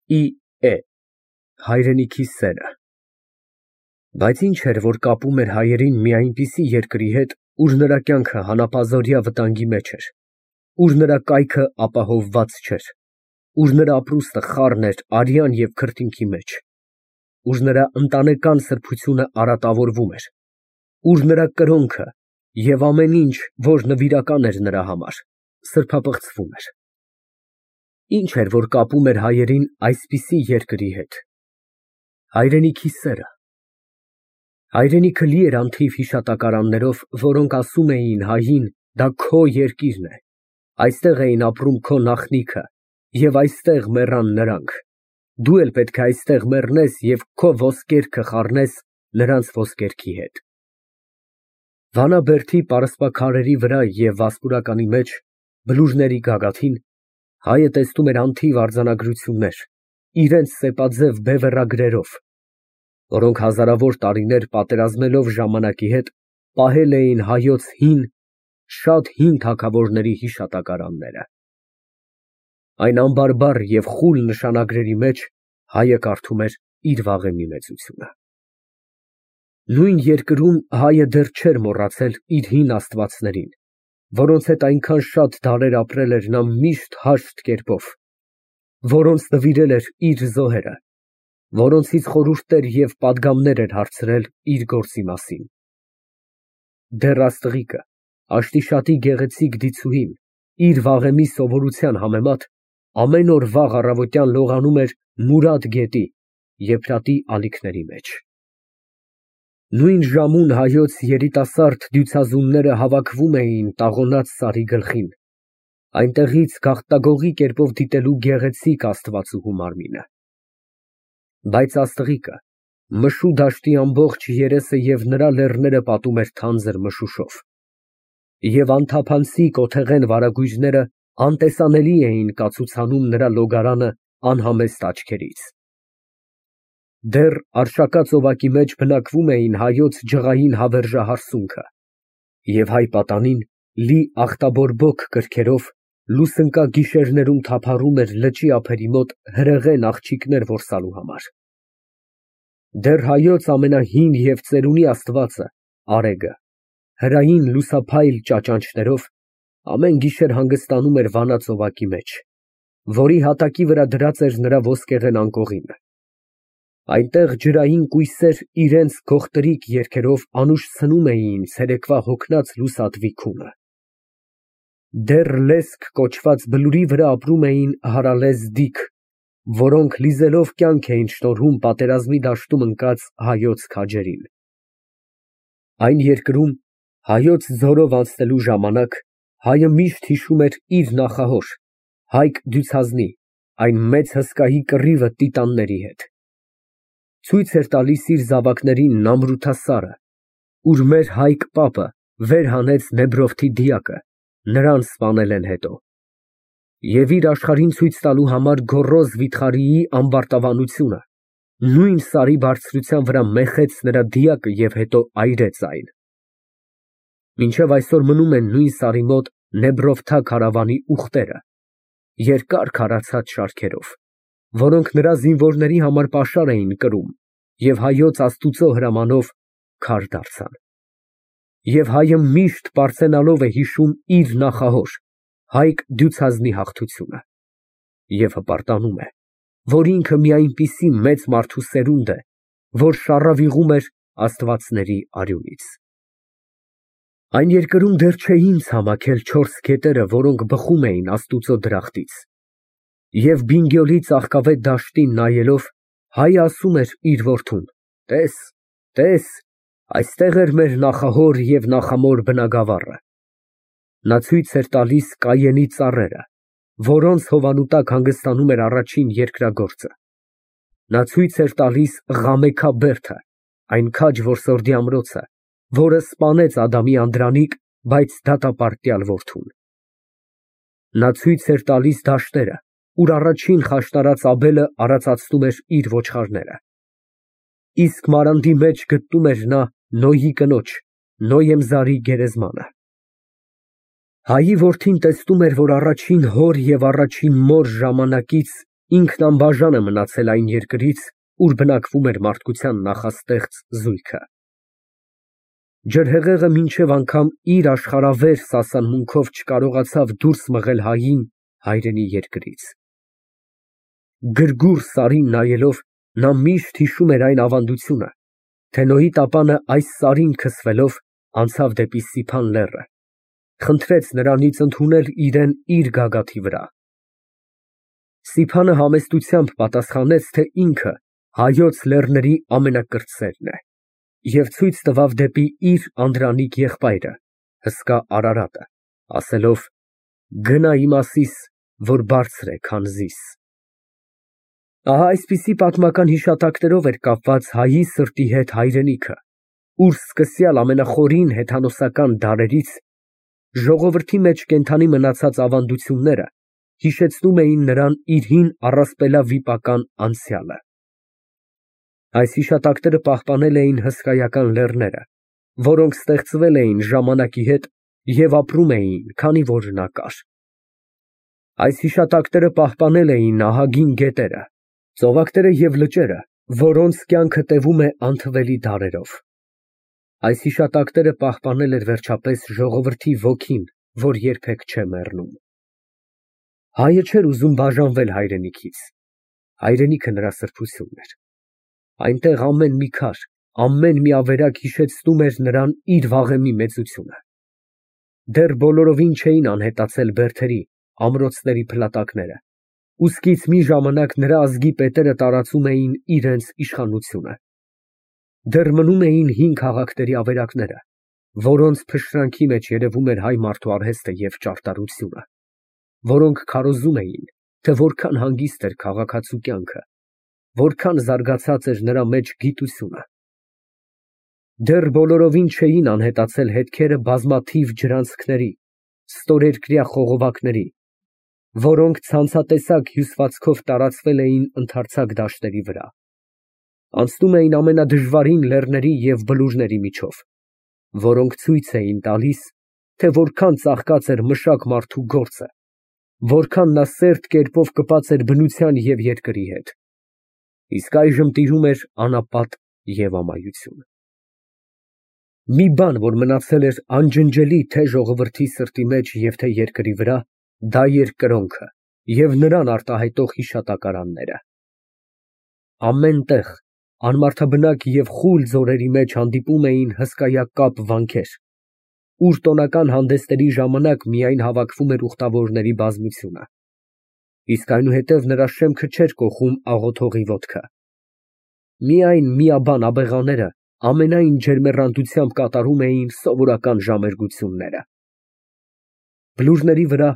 է հայրենիքի սերը։ Բայց ինչ էր, որ կապում էր հայերին մի այնպիսի երկրի հետ, ուր նրա կյանքը հանապազօրյա վտանգի մեջ էր, ուր նրա կայքը ապահովված չէր, ուր նրա ապրուստը խառն էր արյան և քրտինքի մեջ, ուր նրա ընտանեկան սրբությունը արատավորվում էր, ուր նրա կրոնքը և ամեն ինչ, որ նվիրական էր նրա համար, սրբապղծվում էր։ Ինչ էր, որ կապում էր հայերին այսպիսի երկրի հետ։ Հայրենիքի սերը։ Հայրենիքը լի էր անթիվ հիշատակարաններով, որոնք ասում էին հային, դա քո երկիրն է, այստեղ էին ապրում քո նախնիքը, և այստեղ մեռան նրանք, դու էլ պետք է այստեղ մեռնես և քո ոսկերքը խառնես նրանց ոսկերքի հետ։ Վանաբերդի պարսպաքարերի վրա և Վասպուրականի մեջ, բլուրների գագաթին, հայը տեսնում էր անթիվ արձանագրություններ, իրենց սեպաձև բևեռագրերով, որոնք հազարավոր տարիներ պատերազմելով ժամանակի հետ, պահել էին հայոց հին, շատ հին թագավորների հիշատակարանները։ Այն անբարբար և խուլ նշանագրերի մեջ հայը կարդում էր իր վաղեմի մեծությունը։ Նույն երկրում հայը դեռ չէր մոռացել իր հին աստվածներին, որոնց հետ այնքան շատ դարեր ապրել էր նա միշտ հաշտ կերպով, որոնց նվիրել էր իր զոհերը, որոնցից խորհուրդներ և պատգամներ էր հարցրել իր գործի մասին։ Դեռ աստղիկը, Աշտիշատի գեղեցիկ դիցուհին, իր վաղեմի սովորության համեմատ, ամեն օր վաղ առավոտյան լողանում էր Մուրադ գետի, Եփրատի ալիքների մեջ։ Նույն ժամուն հայոց երիտասարդ դյուցազունները հավաքվում էին տաղոնած սարի գլխին, այնտեղից գաղտագողի կերպով դիտելու գեղեցիկ աստվածուհու մարմինը։ Բայց աստղիկը մշու դաշտի ամբողջ երեսը և նրա լեռները պատում էր թանձր մշուշով, և անթափանցիկ օթեղեն վարագույրները անտեսանելի էին կացուցանում նրա լոգարանը անհամեստ աչքերից։ Դեռ Արշակա ծովակի մեջ բնակվում էին հայոց ջղային հավերժահարսունքը և հայ պատանին լի ախտաբորբոք կրքերով լուսնկա գիշերներում թափառում էր լճի ափերի մոտ հրեղեն աղջիկներ որսալու համար։ Դեռ հայոց ամենահին և ծերունի աստվածը Արեգը հրային լուսափայլ ճաճանճներով ամեն գիշեր հանգստանում էր Վանա ծովակի մեջ, որի հատակի վրա դրած էր նրա ոսկեղեն անկողինը։ Այնտեղ ջրային կույսեր իրենց գողտրիկ երգերով անուշցնում էին ցերեկվա հոգնած լուսատվի քունը։ Դեռ լեսք կոչված բլուրի վրա ապրում էին հարալեզդիք, որոնք լիզելով կյանք էին շնորհում պատերազմի դաշտում ընկած հայոց քաջերին։ Այն երկրում հայոց ձորով անցնելու ժամանակ հայը միշտ հիշում էր իր նախահոր, Հայկ Դյուցազնի, այն մեծ հսկայի կռիվը տիտանների հետ։ Ցույց էր տալիս իր զավակներին Նամրութասարը, ուր մեր Հայկ պապը վեր հանեց Նեբրովթի դիակը, նրան սպանել են հետո, և իր աշխարհին ցույց տալու համար գոռոզ վիթխարիի ամբարտավանությունը, նույն սարի բարձրության վրա մեխեց նրա դիակը և հետո այրեց այն։ Մինչև այսօր մնում են նույն սարի մոտ Նեբրովթա քարավանի ուղտերը, երկար քարացած շարքերով, որոնք նրա զինվորների համար պաշար էին կրում և հայոց աստուծո հրամանով քար դարձան։ Եվ հայը միշտ պարծենալով է հիշում իր նախահոր, Հայկ Դյուցազնի հաղթությունը և հպարտանում է, որ ինքը մի այնպիսի մեծ մարդու սերունդ է, որ շառավիղում էր աստվածների արյունից։ Այն երկրում դեռ չէին ցամաքել չորս գետերը, որոնք բխում էին Աստուծո դրախտից, և Բինգյոլի ծաղկավետ դաշտին նայելով, հայը ասում էր իր որդուն. տես, այստեղ էր մեր նախահոր և նախամոր բնագավառը։ Նա ցույց էր տալիս Կայենի ծառերը, որոնց հովանու տակ հանգստանում էր առաջին երկրագործը։ Նա ցույց էր տալիս Ղամեքա բերդը, այն քաջ որսորդի ամրոցը, որը սպանեց Ադամի անդրանիկ, բայց դատապարտյալ որդուն։ Նա ցույց էր տալիս դաշտերը, ուր առաջին խաշնարած Աբելը արածացնում էր իր ոչխարները։ Իսկ Մարանդի մեջ գտնում էր նա Նոյի կնոջ՝ Նոյեմզարի գերեզմանը։ Հայի որդին տեսնում էր, որ առաջին հոր և առաջին մոր ժամանակից ինքն անբաժան է մնացել այն երկրից, ուր բնակվում էր մարդկության նախաստեղծ զույգը։ Ջրհեղեղը մինչև անգամ իր աշխարհավեր սասանմունքով չկարողացավ դուրս մղել հային հայրենի երկրից։ Գրգուռ սարին նայելով, նա միշտ հիշում էր այն ավանդությունը, թե Նոյի տապանը այս սարին քսվելով անցավ դեպի Սիփան լեռը, խնդրեց նրանից ընդունել իրեն իր գագաթի վրա։ Սիփանը համեստությամբ պատասխանեց, թե ինքը հայոց լեռների ամենակրտսերն է, և ցույց տվավ դեպի իր անդրանիկ եղբայրը, հսկա Արարատը, ասելով. «Գնա իմ ասիս, որ բարձր է, քան զիս»։ Ահա այսպիսի պատմական հիշատակներով էր կապված հայի սրտի հետ հայրենիքը, ուր սկսյալ ամենախորին հեթանոսական դարերից ժողովրդի մեջ կենդանի մնացած ավանդությունները հիշեցնում էին նրան իր հին առասպելավիպական անցյալը։ Այս հիշատակները պահպանել էին հսկայական լեռները, որոնք ստեղծվել էին ժամանակի հետ և ապրում էին, քանի որ նա կար։ Այս հիշատակները պահպանել էին ահագին գետերը, ծովակները և լճերը, որոնց կյանքը տևում է անթվելի դարերով։ Այս հիշատակները պահպանել էր վերջապես ժողովրդի ոգին, որ երբեք չէ մեռնում։ Հայը չէր ուզում բաժանվել հայրենիքից։ Հայրենիքը նրա սրբությունն էր։ Այնտեղ ամեն մի քար, ամեն մի ավերակ հիշեցնում էր նրան իր վաղեմի մեծությունը։ Դեռ բոլորովին չէին անհետացել բերդերի, ամրոցների փլատակները, ուստից մի ժամանակ նրա ազգի պետերը տարածում էին իրենց իշխանությունը։ Դեռ մնում էին հին քաղաքների ավերակները, որոնց փշրանքի մեջ երևում էր հայ մարդու արհեստը և ճարտարությունը, որոնք քարոզում էին, թե որքան հանգիստ էր քաղաքացու կյանքը, որքան զարգացած էր նրա մեջ գիտությունը։ Դեռ բոլորովին չէին անհետացել հետքերը բազմաթիվ ջրանցքների, ստորերկրյա խողովակների, որոնք ցանցատեսակ հյուսվածքով տարածվել էին ընդարձակ դաշտերի վրա, անցնում էին ամենադժվարին լեռների և բլուրների միջով, որոնք ցույց էին տալիս, թե որքան ծաղկած էր մշակ մարդու գործը, որքան նա սերտ կերպով կպած էր բնության և երկրի հետ, իսկ այժմ տիրում էր անապատ և ամայություն։ Մի բան, որ մնացել էր անջնջելի թե ժողովրդի սրտի մեջ և թե երկրի վրա, դա էր կրոնքը և նրան արտահայտող հիշատակարանները։ Ամեն տեղ, անմարդաբնակ և խուլ ձորերի մեջ հանդիպում էին հսկայակապ վանքեր, ուր տոնական հանդեսների ժամանակ միայն հավաքվում էր ուխտավորների բազմությունը, իսկ այնուհետև նրա շեմքը չէր կոխում աղոթողի ոտքը։ Միայն միաբան աբեղաները ամենայն ջերմեռանդությամբ կատարում էին սովորական ժամերգությունները։ Բլուրների վրա,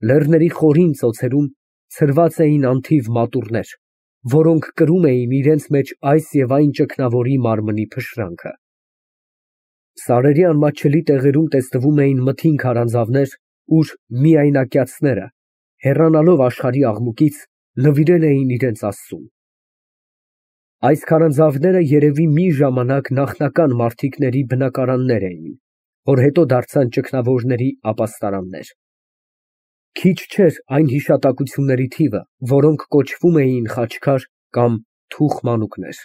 լեռների խորին ծոցերում ցրված էին անթիվ մատուռներ, որոնք կրում էին իրենց մեջ այս և այն ճգնավորի մարմնի փշրանքը։ Սարերի անմատչելի տեղերում տեսնվում էին մթին քարանձավներ, ուր միայնակյացները, հեռանալով աշխարհի աղմուկից, նվիրել էին իրենց Աստծուն։ Այս քարանձավները երևի մի ժամանակ նախնական մարդիկների բնակարաններ էին, որ հետո դարձան ճգնավորների ապաստարաններ։ Քիչ չէր այն հիշատակությունների թիվը, որոնք կոչվում էին խաչքար կամ թուխ մանուկներ։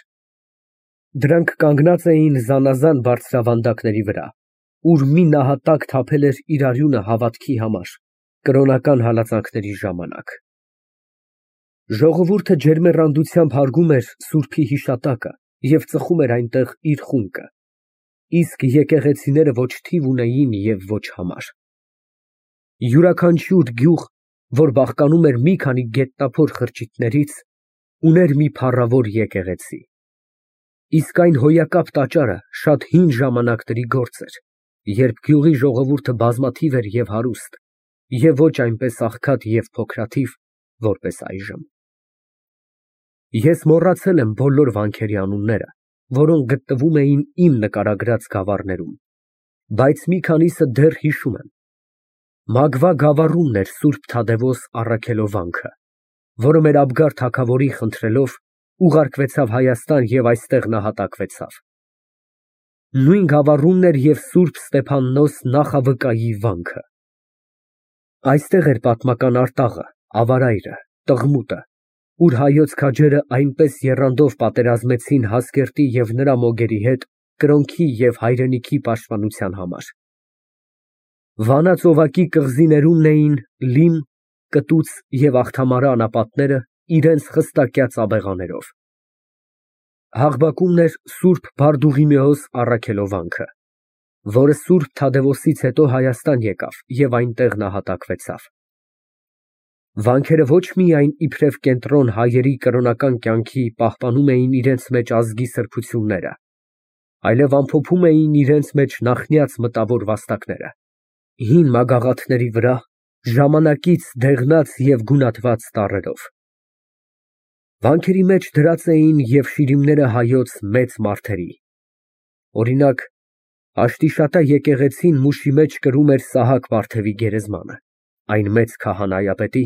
Դրանք կանգնած էին զանազան բարձրավանդակների վրա, ուր մի նահատակ թափել էր իր արյունը հավատքի համար, կրոնական հալածանքների ժամանակ։ Ժողովուրդը ջերմեռանդությամբ հարգում էր սուրբի հիշատակը և ծխում էր այնտեղ իր խունկը, իսկ եկեղեցիները ոչ թիվ ունեին և ոչ համար։ Յուրաքանչյուր գյուղ, որ բաղկանում էր մի քանի գետնափոր խրճիթներից, ուներ մի փառավոր եկեղեցի։ Իսկ այն հոյակապ տաճարը շատ հին ժամանակների գործ էր, երբ գյուղի ժողովուրդը բազմաթիվ էր և հարուստ, և ոչ այնպես աղքատ և փոքրաթիվ, որպես այժմ։ Ես մոռացել եմ բոլոր վանքերի անունները, որոնք գտնվում էին իմ նկարագրած գավառներում, բայց մի քանիսը դեռ հիշում եմ։ Մագվա գավառումն էր Սուրբ Թադևոս առաքելովանքը, որը մեր Աբգար թագավորի խնդրելով ուղարկվեցավ Հայաստան և այստեղ նահատակվեցավ։ Նույն գավառումն էր և Սուրբ Ստեփաննոս նախավկայի վանքը։ Այստեղ էր պատմական Արտաղը, Ավարայրը, Տղմուտը, ուր հայոց քաջերը այնպես եռանդով պատերազմեցին Հասկերտի և նրա մոգերի հետ կրոնքի և հայրենիքի պաշտպանության համար։ Վանա ծովակի կղզիներումն էին Լիմ, Կտուց և Աղթամարը անապատները իրենց խստակյաց աբեղաներով։ Հաղբակումն էր Սուրբ Բարդուղիմեոս առաքելովանքը, որը Սուրբ Թադևոսից հետո Հայաստան եկավ և այնտեղ նահատակվեցավ։ Վանքերը ոչ միայն իբրև կենտրոն հայերի կրոնական կյանքի պահպանում էին իրենց մեջ ազգի սրբությունները, այլև ամփոփում էին իրենց մեջ նախնյաց մտավոր վաստակները, հին մագաղաթների վրա ժամանակից դեղնած և գունատված տառերով։ Վանքերի մեջ դրած էին և շիրիմները հայոց մեծ մարդերի, օրինակ, Աշտիշատա եկեղեցին Մուշի մեջ կրում էր Սահակ Վարդևի գերեզմանը, այն մեծ քահանայապետի,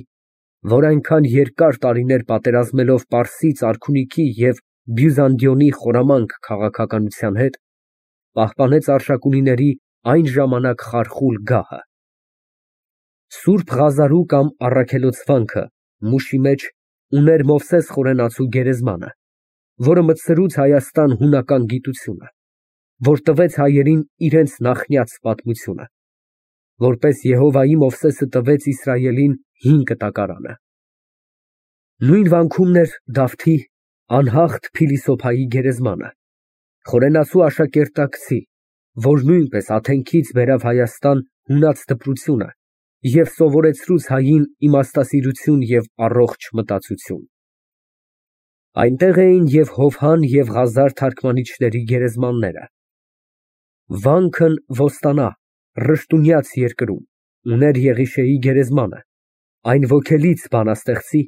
որ այնքան երկար տարիներ պատերազմելով Պարսից արքունիքի և Բյուզանդիոնի խորամանկ քաղաքականության հետ, պահպանեց Արշակունիների այն ժամանակ խարխուլ գահը։ Սուրբ Ղազարու կամ Առաքելոց վանքը Մուշի մեջ ուներ Մովսես Խորենացու գերեզմանը, որը մտցրուց Հայաստան հունական գիտությունը, որ տվեց հայերին իրենց նախնյաց պատմությունը, որպես Եհովայի Մովսեսը տվեց Իսրայելին հին կտակարանը։ Նույն վանքումն էր Դավթի անհաղթ փիլիսոփայի գերեզմանը, Խորենացու աշակերտակցի, որ նույնպես Աթենքից բերավ Հայաստան հունած դպրությունը և սովորեցրուց հային իմաստասիրություն և առողջ մտածություն։ Այնտեղ էին և Հովհան և Ղազար թարգմանիչների գերեզմանները։ Վանքն Ոստանա, Ռշտունյաց երկրում ուներ Եղիշեի գերեզմանը, այն ոգելից բանաստեղծի,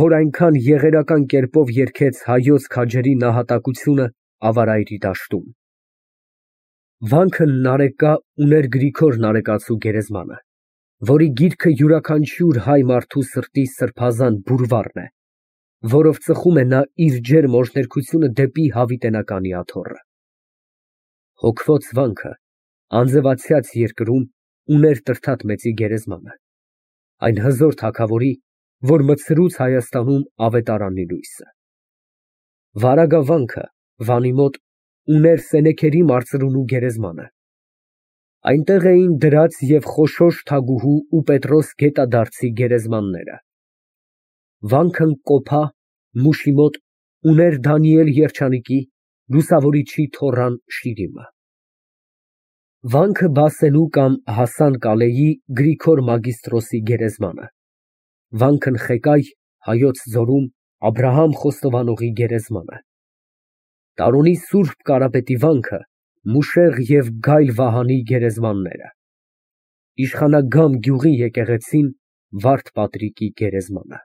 որ այնքան եղերական կերպով երգեց հայոց քաջերի նահատակությունը Ավարայրի դաշտում։ Վանքը Նարեկա ուներ Գրիգոր Նարեկացու գերեզմանը, որի գիրքը յուրաքանչյուր հայ մարդու սրտի սրբազան բուրվառն է, որով ծխում է նա իր ջերմ օրհներգությունը դեպի հավիտենականի աթոռը։ Հոգվոց վանքը Անձևացյաց երկրում ուներ Տրդատ մեծի գերեզմանը, այն հզոր թագավորի, որ մտցրուց Հայաստանում ավետարանի լույսը։ Վարագավանքը Վանի մոտ ուներ Սենեքերի մարծրունու գերեզմանը։ Այնտեղ էին դրած և Խոշոր թագուհու ու Պետրոս գետադարձի գերեզմանները։ Վանքն Կոփա Մուշի մոտ ուներ Դանիել երջանիկի, լուսավորիչի թոռան շիրիմը։ Վանքը Բասենու կամ Հասան Կալեի Գրիգոր Մագիստրոսի գերեզմանը։ Վանքն Խեկայ Հայոց ձորում Աբրահամ Խոստովանողի գերեզմանը։ Տարոնի Սուրբ Կարապետի վանքը Մուշեղ և Գայլ Վահանի գերեզմանները։ Իշխանագամ գյուղի եկեղեցին Վարդ Պատրիկի գերեզմանը։